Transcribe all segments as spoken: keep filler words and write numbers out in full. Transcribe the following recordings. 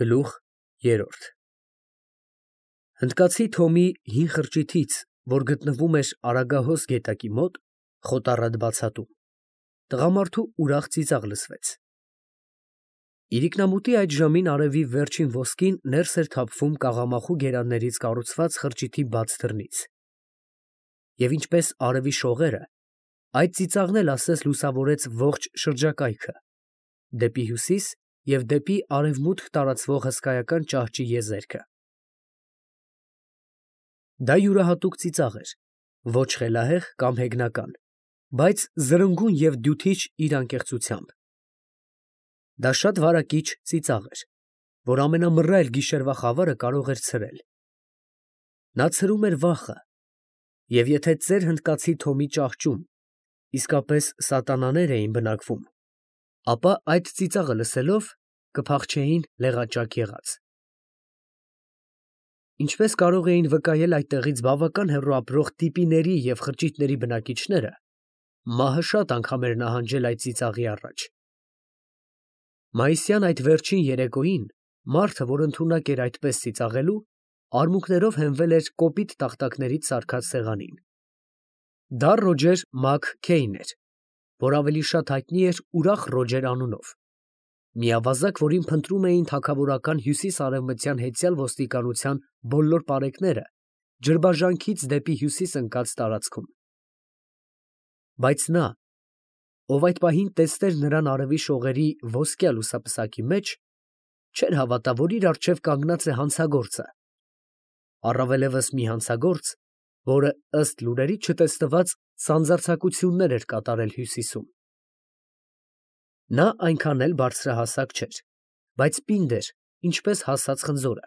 Գլուխ երրորդ Հնդկացի Թոմի հին խրճիթից, որ գտնվում էր Արագահոս գետակի մոտ, խոտառատ բացատում, տղամարդու ուրախ ծիծաղ լսվեց. իրիկնամուտի այդ ժամին արևի վերջին ոսկին ներս էր թափվում կաղամախու գերաններից կառուցված խրճիթի բաց դռնից, և ինչպես արևի շողերը, այդ ծիծաղն էլ ասես լուսավորեց ողջ շրջակայքը, դեպի հյուսիս և դեպի արևմուտք տարածվող հսկայական ճահճի եզերքը. դա յուրահատուկ ծիծաղ էր, ոչ խելահեղ կամ հեգնական, բայց զրնգուն և դյութիչ իր անկեղծությամբ. դա շատ վարակիչ ծիծաղ էր, որ ամենամռայլ գիշերվա խավարը կարող էր ցրել. նա ցրում էր վախը, և եթե ծեր հնդկացի Թոմի ճահճում իսկապես սատանաներ էին բնակվում, ապա այդ ծիծաղը լսելով կփախչեին լեղաճակ եղած։ Ինչպես կարող էին վկայել այդտեղից բավական հեռու ապրող տիպիների և խրճիթների բնակիչները, մահը շատ անգամ էր նահանջել այդ ծիծաղի առաջ։ Մայիսյան այդ վերջին երեկոյին մարդը, որ ընդունակ էր այդպես ծիծաղելու, արմունկներով հենվել էր կոպիտ տախտակներից սարքած սեղանին։ Դա Ռոջեր Մաք Քեյն էր, որ ավելի շատ հայտնի էր ուրախ Ռոջեր անունով, մի ավազակ, որին փնտրում էին թագավորական հյուսիս֊արևմտյան հետյալ ոստիկանության բոլոր պարեկները ջրբաժանքից դեպի հյուսիս ընկած տարածքում։ Բայց նա, ով այդ պահին տեսներ նրան արևի շողերի ոսկյա լուսապսակի մեջ, չէր հավատա, որ իր առջև կանգնած է հանցագործը, առավելևս մի հանցագործ, որը ըստ լուրերի չտեսնված սանձարձակություններ էր կատարել հյուսիսում։ Նա այնքան էլ բարձրահասակ չէր, բայց պինդ էր, ինչպես հասած խնձորը,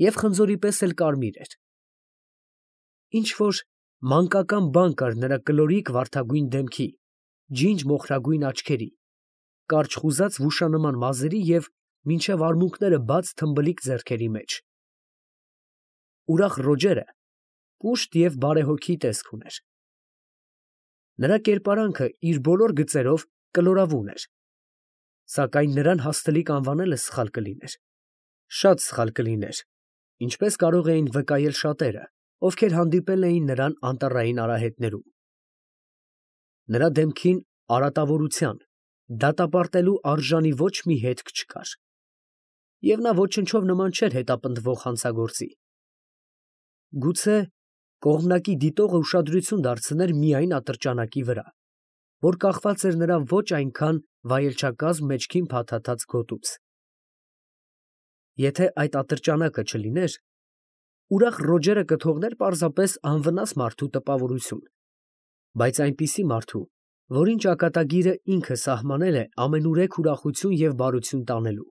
և խնձորի պես էլ կարմիր էր։ Ինչ֊որ մանկական բան կար նրա կլորիկ վարդագույն դեմքի, ջինջ մոխրագույն աչքերի, կարճ խուզած վուշանման մազերի և մինչև արմունկները բաց թմբլիկ ձեռքերի մեջ։ Ուրախ Ռոջերը կուշտ և բարեհոգի տեսք ուներ։ Նրա կերպարանքը իր բոլոր գծերով կլորավուն էր, սակայն նրան հաստլիկ անվանելը սխալ կլիներ, շատ սխալ կլիներ, ինչպես կարող էին վկայել շատերը, ովքեր հանդիպել էին նրան անտառային արահետներում։ Նրա դեմքին արատավորության, դատապարտելու արժանի ոչ մի հետք չկար, և նա ոչնչով նման չէր հետապնդվող հանցագործի։ Գուցե կողմնակի դիտողը ուշադրություն դարձներ միայն ատրճանակի վրա, որ կախված էր նրա ոչ այնքան վայելչակազմ մեջքին փաթաթած գոտուց։ Եթե այդ ատրճանակը չլիներ, ուրախ Ռոջերը կթողներ պարզապես անվնաս մարդու տպավորություն, բայց այնպիսի մարդու, որին ճակատագիրը ինքը սահմանել է ամենուրեք ուրախություն և բարություն տանելու։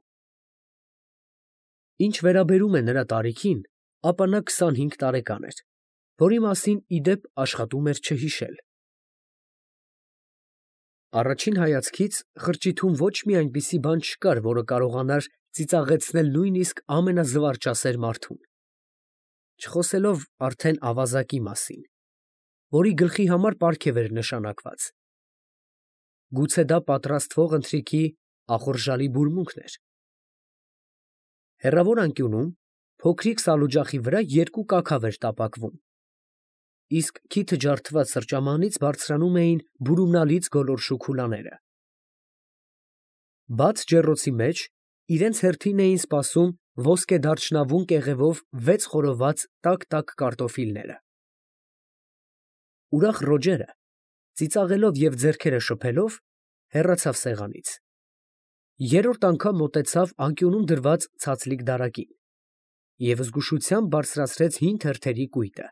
Ինչ վերաբերում է նրա տարիքին, ապա նա քսանհինգ տարեկան էր, որի մասին, ի դեպ, աշխատում էր չհիշել։ Առաջին հայացքից խրճիթում ոչ մի այնպիսի բան չկար, որը կարողանար ծիծաղեցնել նույնիսկ ամենազվարճասեր մարդուն, չխոսելով արդեն ավազակի մասին, որի գլխի համար պարգև էր նշանակված։ Գուցե դա պատրաստվող ընթրիքի ախորժալի բուրմունքն էր։ Հեռավոր անկյունում, փոքրիկ սալօջախի վրա երկու կաքավ էր տապակվում, իսկ քիթը ջարդված սրճամանից բարձրանում էին բուրումնալից գոլորշու քուլաները։ Բաց ջեռոցի մեջ իրենց հերթին էին սպասում ոսկեդարչնավուն կեղևով վեց խորոված տաք֊տաք կարտոֆիլները։ Ուրախ Ռոջերը, ծիծաղելով և ձեռքերը շփելով, հեռացավ սեղանից, երրորդ անգամ մոտեցավ անկյունում դրված ցածլիկ դարակին և զգուշությամբ բարձրացրեց հին թերթերի կույտը։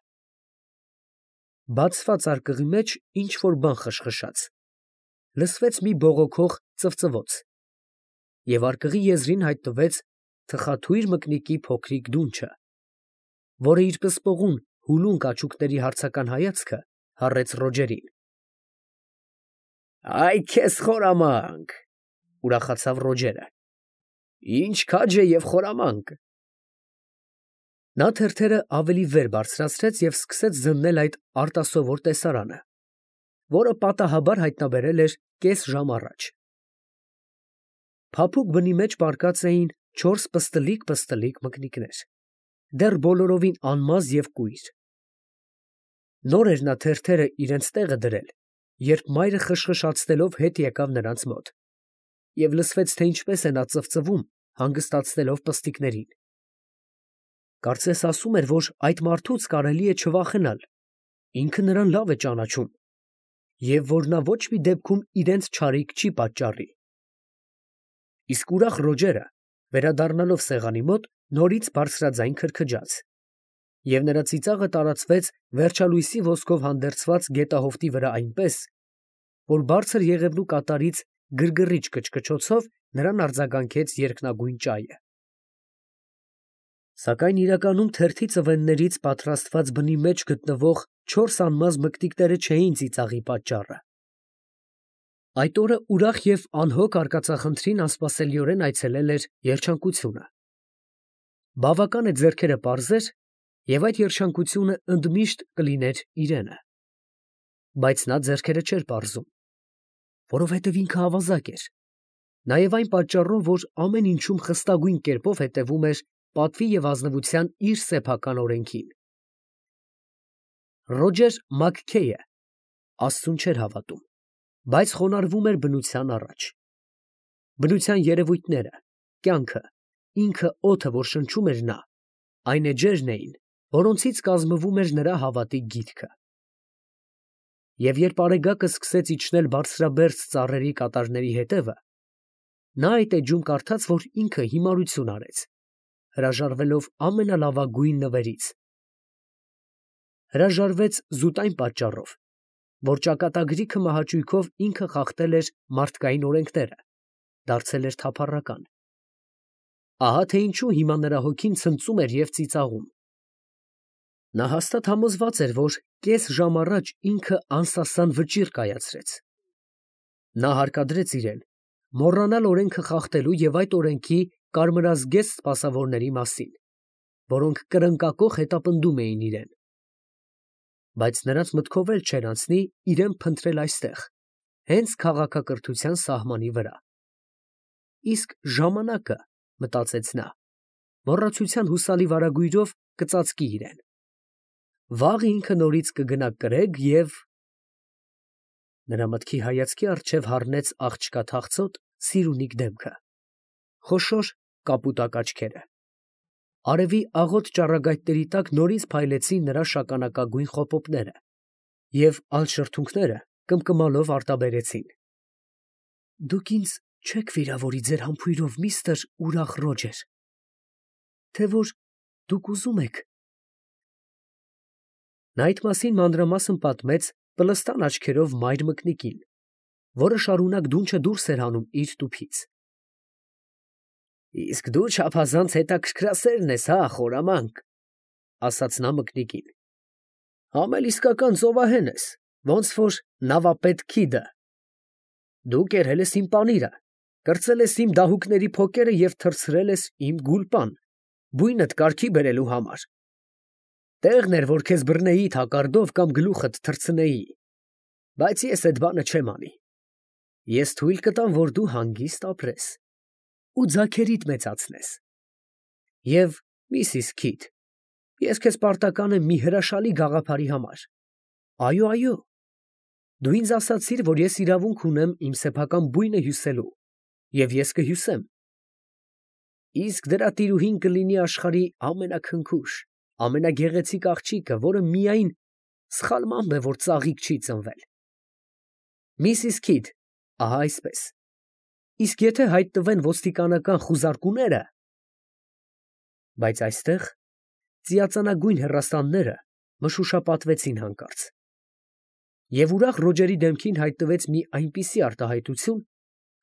Բացված արկղի մեջ ինչ֊որ բան խշխշաց, լսվեց մի բողոքող ծվծվոց, և արկղի եզրին հայտնվեց թխաթույր մկնիկի փոքրիկ դունչը, որը իր պսպղուն հուլուն կաճուկների հարցական հայացքը հառեց Ռոջերին։ ֊ Այ քեզ խորամանկ, ֊ ուրախացավ Ռոջերը, ֊ ինչ քաջ է և խորամանկ։ Նա թերթերը ավելի վեր բարձրացրեց և սկսեց զննել այդ արտասովոր տեսարանը, որը պատահաբար հայտնաբերել էր կես ժամ առաջ։ Փափուկ բնի մեջ պառկած էին չորս պստլիկ-պստլիկ մկնիկներ, դեռ բոլորովին անմազ և կույր։ Նոր էր նա թերթերը իրենց տեղը դրել, երբ մայրը խշխշացնելով հետ եկավ նրանց մոտ, և լսվեց, թե ինչպես է նա ծվծվում, հանգստացնելով պստիկներին։ Կարծես ասում էր, որ այդ մարդուց կարելի է չվախենալ, ինքը նրան լավ է ճանաչում, և որ նա ոչ մի դեպքում իրենց չարիք չի պատճառի։ Իսկ ուրախ Ռոջերը, վերադառնալով սեղանի մոտ, նորից բարձրաձայն քրքջաց, և նրա ծիծաղը տարածվեց վերջալույսի ոսկով հանդերձված գետահովտի վրա այնպես, որ բարձր Եղևնու կատարից գրգռիչ կչկչոցով նրան արձագանքեց երկնագույն ճայը։ Սակայն իրականում թերթի ծվեններից պատրաստված բնի մեջ գտնվող չորս անմազ մկնիկները չէին ծիծաղի պատճառը։ Այդ օրը ուրախ և անհոգ արկածախնդրին անսպասելիորեն այցելել էր երջանկությունը։ Բավական է ձեռքերը պարզեր, և այդ երջանկությունը ընդմիշտ կլիներ իրենը։ Բայց նա ձեռքերը չէր պարզում, որովհետև ինքը ավազակ էր, նաև այն պատճառով, որ ամեն ինչում խստագույն կերպով հետևում էր պատվի և ազնվության իր սեփական օրենքին։ Ռոջեր Մաքքեյը աստծուն չէր հավատում, բայց խոնարհվում էր բնության առաջ։ Բնության երևույթները, կյանքը, ինքը օդը, որ շնչում էր նա, այն էջերն էին, որոնցից կազմվում էր նրա հավատի գիտքը։ Եվ երբ Արեգակը սկսեց իջնել բարձրաբերձ ծառերի կատարների հետևը, նա այդ էջում կարդաց, որ ինքը հիմարություն արեց, հրաժարվելով ամենալավագույն նվերից։ Հրաժարվեց զուտ այն պատճառով, որ ճակատագրիքը մահաճույքով ինքը խախտել էր մարդկային օրենքները, դարձել էր թափառական։ Ահա թե ինչու հիմա նրա հոգին ցնծում էր և ծիծաղում։ Նա հաստատ համոզված էր, որ կես ժամ առաջ ինքը անսասան վճիռ կայացրեց։ Նա հարկադրեց իրեն մոռանալ օրենքը խախտելու և այդ օրենքի կարմրազգեստ սպասավորների մասին, որոնք կրնկակոխ հետապնդում էին իրեն։ Բայց նրանց մտքով էլ չէր անցնի իրեն փնտրել այստեղ, հենց քաղաքակրթության սահմանի վրա։ Իսկ ժամանակը, մտածեց նա, մոռացության հուսալի վարագույրով կծածկի իրեն։ Վաղ ինքը նորից կգնա կրեգ և… Նրա մտքի հայացքի առջև հառնեց աղջկա թախծոտ, սիրունիկ դեմքը, խոշոր կապուտակ աչքերը։ Արևի աղոտ ճառագայթների տակ նորից փայլեցին նրա շագանակագույն խոպոպները, և ալշրթունքները կմկմալով արտաբերեցին։ Դուք ինձ չեք վիրավորի ձեր համբույրով, միստր ուրախ Ռոջեր, թե որ դուք ուզում եք… Նա այդ մասին մանրամասն պատմեց պլստան աչքերով մայր մկնիկին, որը շարունակ դունչը դուրս էր հանում իր տուփից։ ֊ Իսկ դու չափազանց հետաքրքրասերն ես, հա, խորամանկ, ֊ ասաց նա մկնիկին։ ֊ Համ էլ իսկական ծովահեն ես, ոնց որ նավապետ Քիդը. դու կերել ես իմ պանիրը, կրծել ես իմ դահուկների փոկերը և թռցրել ես իմ գուլպան, բույնդ կարգի բերելու համար. տեղն էր, որ քեզ բռնեի թակարդով կամ գլուխդ թռցնեի, բայց ես էդ բանը չեմ անի. ես թույլ կտամ, որ դու հանգիստ ապրես ու ձագերիդ մեծացնես։ Եվ, Միսիս Քիդ, ես քեզ պարտական եմ մի հրաշալի գաղափարի համար։ Այո, այո, դու ինձ ասացիր, որ ես իրավունք ունեմ իմ սեփական բույնը հյուսելու, և ես կհյուսեմ։ Իսկ դրա տիրուհին կլինի աշխարհի ամենաքնքուշ, ամենագեղեցիկ աղջիկը, որը միայն սխալմամբ է, որ ծաղիկ չի ծնվել։ Միսիս Քիդ, ահա այսպես։ Իսկ եթե հայտնվեն ոստիկանական խուզարկուները… Բայց այստեղ ծիածանագույն հեռաստանները մշուշապատվեցին հանկարծ, և ուրախ Ռոջերի դեմքին հայտնվեց մի այնպիսի արտահայտություն,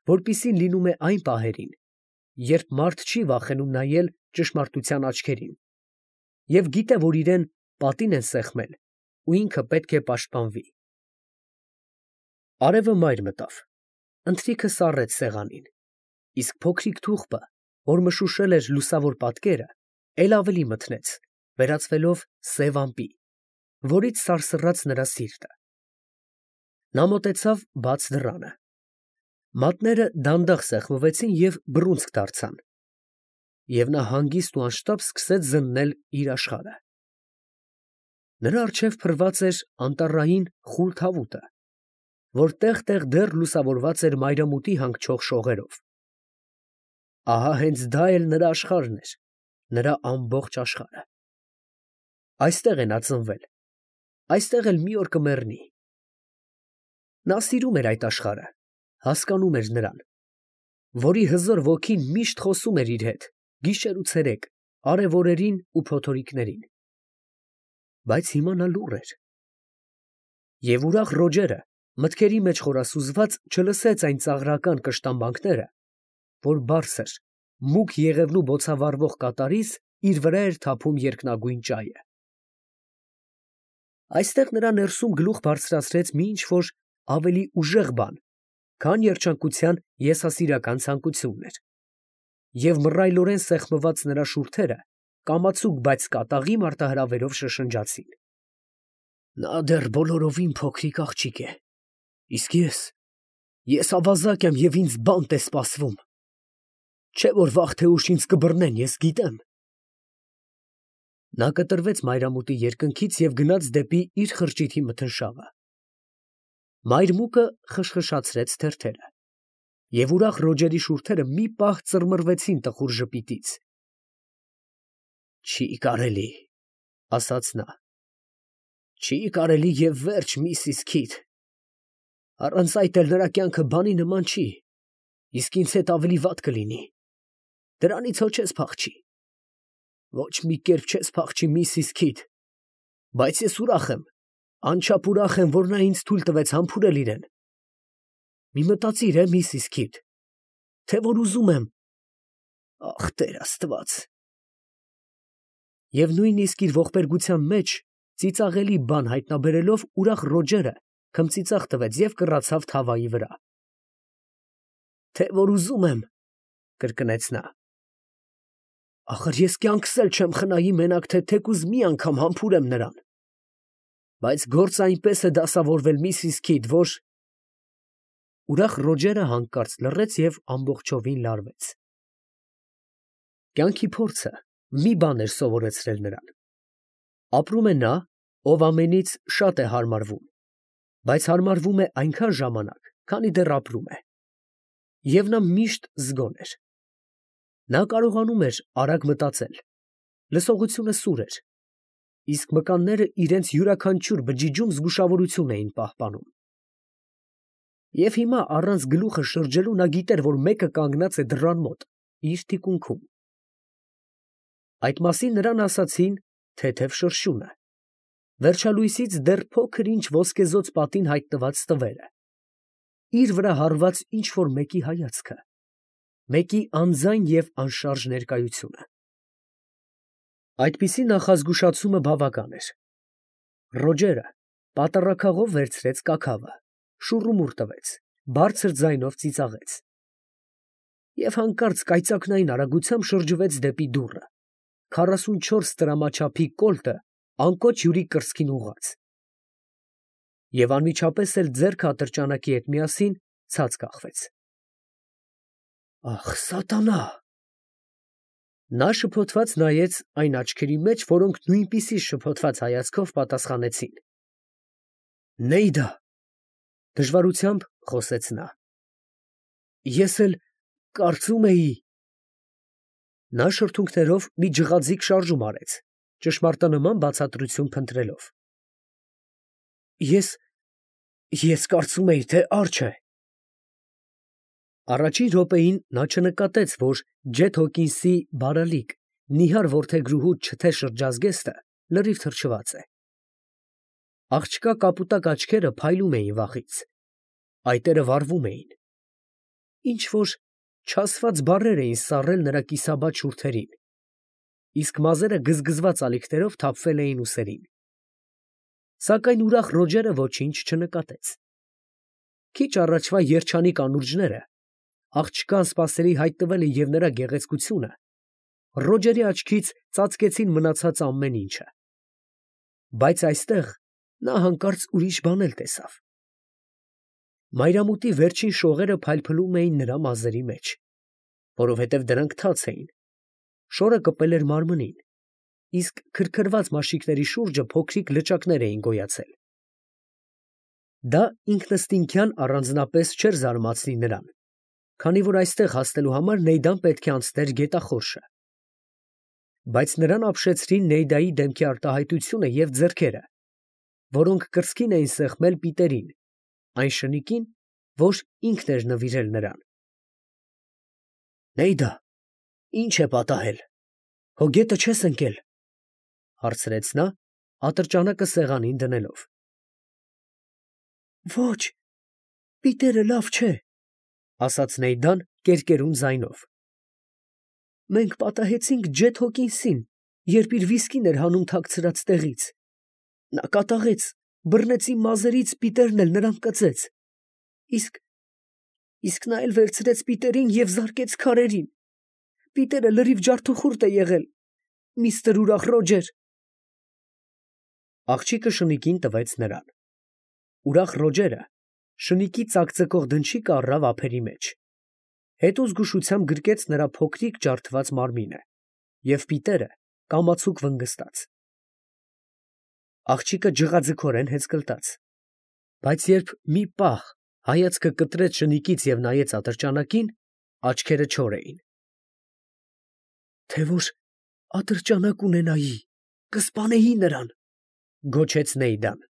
որպիսին լինում է այն պահերին, երբ մարդ չի վախենում նայել ճշմարտության աչքերին և գիտե, որ իրան պատին են սեղմել ու ինքը պետք է պաշտպանվի։ Արևը մայր մտավ, ընթրիքը սառեց սեղանին, իսկ փոքրիկ թուղթը, որ մշուշել էր լուսավոր պատկերը, էլ ավելի մթնեց, վերածվելով սև ամպի, որից սարսռաց նրա սիրտը։ Նա մոտեցավ բաց դռանը։ Մատները դանդաղ սեղմվեցին և բռունցք դարձան։ և նա հանգիստ ու անշտապ սկսեց զննել իր աշխարհը։ Նրա առջև փռված էր անտառային խուլ թավուտը, որ տեղ֊տեղ դեռ լուսավորված էր մայրամուտի հանգչող շողերով։ Ահա հենց դա էլ նրա աշխարհն էր, նրա ամբողջ աշխարհը։ Այստեղ է նա ծնվել, այստեղ էլ մի օր կմեռնի։ Նա սիրում էր այդ աշխարհը, հասկանում էր նրան, որի հզոր ոգին միշտ խոսում էր իր հետ, գիշեր ու ցերեկ, արև օրերին ու փոթորիկներին։ Բայց հիմա նա լուռ էր։ Եվ ուրախ Ռոջերը, մտքերի մեջ խորասուզված, չլսեց այն ծաղրական կշտամբանքները, որ բարձր, մուգ եղևնու բոցավառվող կատարից իր վրա էր թափում երկնագույն ճայը։ Այստեղ նրա ներսում գլուխ բարձրացրեց մի ինչ֊որ ավելի ուժեղ բան, քան երջանկության եսասիրական ցանկությունն էր, և մռայլորեն սեղմված նրա շուրթերը կամացուկ, բայց կատաղի մարտահրավերով շշնջացին. «Նա դեռ բոլորովին փոքրիկ աղջիկ է, իսկ ես… ես ավազակ եմ և ինձ բանտ է սպասվում… չէ՞ որ վաղ թե ուշ ինձ կբռնեն, ես գիտեմ»։ Նա կտրվեց մայրամուտի երկնքից և գնաց դեպի իր խրճիթի մթնշաղը։ Մայր մուկը խշխշացրեց թերթերը, և ուրախ Ռոջերի շուրթերը մի պահ ծռմռվեցին տխուր ժպիտից։ «Չի կարելի, ֊ ասաց նա, ֊ չի կարելի և վերջ, միսիս Քիթ… առանց այդ էլ նրա կյանքը բանի նման չի, իսկ ինձ հետ ավելի վատ կլինի… դրանից հո չես փախչի… ոչ մի կերպ չես փախչի, միսիս Քիթ… բայց ես ուրախ եմ, անչափ ուրախ եմ, որ նա ինձ թույլ տվեց համբուրել իրան… մի մտածիր, միսիս Քիթ, թե որ ուզում եմ… ախ, տեր Աստված…» Եվ նույնիսկ իր ողբերգության մեջ ծիծաղելի բան հայտնաբերելով, ուրախ Ռոջերը քմծիծաղ տվեց և կռացավ թավայի վրա։ «Թե որ ուզում եմ, ֊ կրկնեց նա, ֊ ախր ես կյանքս էլ չեմ խնայի մենակ թե թեկուզ մի անգամ համբուրեմ նրան… բայց գործը այնպես է դասավորվել, միսիս Քիթ, որ…» Ուրախ Ռոջերը հանկարծ լռեց և ամբողջովին լարվեց։ Կյանքի փորձը մի բան էր սովորեցրել նրան. ապրում է նա, ով ամենից շատ է հարմարվում, բայց հարմարվում է այնքան ժամանակ, քանի դեռ ապրում է, և նա միշտ զգոն էր։ Նա կարողանում էր արագ մտածել, լսողությունը սուր էր, իսկ մկանները իրենց յուրաքանչյուր բջիջում զգուշավորություն էին պահպանում։ Եվ հիմա առանց գլուխը շրջելու նա գիտեր, որ մեկը կանգնած է դռան մոտ, իր թիկունքում։ Այդ մասին նրան ասացին թեթև շրշյունը, վերջալույսից դեռ փոքր֊ինչ ոսկեզօծ պատին հայտնված տվերը, իր վրա հառված ինչ֊որ մեկի հայացքը, մեկի անձայն և անշարժ ներկայությունը։ Այդպիսի նախազգուշացումը բավական էր։ Ռոջերը պատառաքաղով վերցրեց կաքավը, շուռումուռ տվեց, բարձր ձայնով ծիծաղեց և հանկարծ կայծակնային արագությամբ շրջվեց դեպի դուռը, քառասունչորս տրամաչափի կոլտը անկոչ հյուրի կրծքին ուղղած, և անմիջապես էլ ձեռքը ատրճանակի հետ միասին ցած կախվեց։ «Ախ, սատանա…» Նա շփոթված նայեց այն աչքերի մեջ, որոնք նույնպիսի շփոթված հայացքով պատասխանեցին. «Նեյդա…» դժվարությամբ խոսեց նա, «ես էլ կարծում էի…» Նա շրթունքներով մի ջղաձիգ շարժում արեց, ճշմարտանման բացատրություն փնտրելով. «Ես… ես կարծում էի, թե արջ է…» Առաջին րոպեին նա չնկատեց, որ Ջեթ Հոքինսի բարալիկ, նիհար որդեգրուհու չթե շրջազգեստը լրիվ թրջված է։ Աղջկա կապուտակ աչքերը փայլում էին վախից, այտերը վառվում էին, ինչ֊որ չասված բառեր էին սառել նրա կիսաբաց շուրթերին, իսկ մազերը գզգզված ալիքներով թափվել էին ուսերին։ Սակայն ուրախ Ռոջերը ոչինչ չնկատեց։ Քիչ առաջվա երջանիկ անուրջները, աղջկան սպասելի հայտնվելը և նրա գեղեցկությունը Ռոջերի աչքից ծածկեցին մնացած ամեն ինչը։ Բայց այստեղ նա հանկարծ ուրիշ բան էլ տեսավ։ Մայրամուտի վերջին շողերը փայլփլում էին նրա մազերի մեջ, որովհետև դրանք թաց էին, շորը կպել էր մարմնին, իսկ քրքրված մաշիկների շուրջը փոքրիկ լճակներ էին գոյացել։ Դա ինքնըստինքյան առանձնապես չէր զարմացնի նրան, քանի որ այստեղ հասնելու համար Նեյդան պետք է անցներ գետախորշը։ Բայց նրան ապշեցրին Նեյդայի դեմքի արտահայտությունը և ձեռքերը, որոնք կրծքին էին սեղմել Պիտերին, այն շնիկին, որ ինքն էր նվիրել նրան։ «Նեյդա, ի՞նչ է պատահել, հո գետը չես ընկել», ֊ հարցրեց նա, ատրճանակը սեղանին դնելով։ «Ոչ, Պիտերը լավ չէ», ֊ ասաց Նեյդան կերկերուն ձայնով։ «Մենք պատահեցինք Ջեթ Հոքինսին, երբ իր վիսկին էր հանում թաքցրած տեղից. նա կատաղեց, բռնեց իմ մազերից, Պիտերն էլ նրան կծեց, իսկ… իսկ նա էլ վերցրեց Պիտերին և զարկեց քարերին… Պիտերը լրիվ ջարդուխուրդ է եղել, միստր ուրախ Ռոջեր»։ Աղջիկը շնիկին տվեց նրան։ Ուրախ Ռոջերը շնիկի ծակծկող դնչիկը առավ ափերի մեջ, հետո զգուշությամբ գրկեց նրա փոքրիկ ջարդված մարմինը, և Պիտերը կամացուկ վնգստաց։ Աղջիկը ջղաձգորեն հեծկլտաց, բայց երբ մի պահ հայացքը կտրեց շնիկից և նայեց ատրճանակին, աչքերը չոր էին։ «Թե որ ատրճանակ ունենայի, կսպանեի նրան», ֊ գոչեց Նեյդան։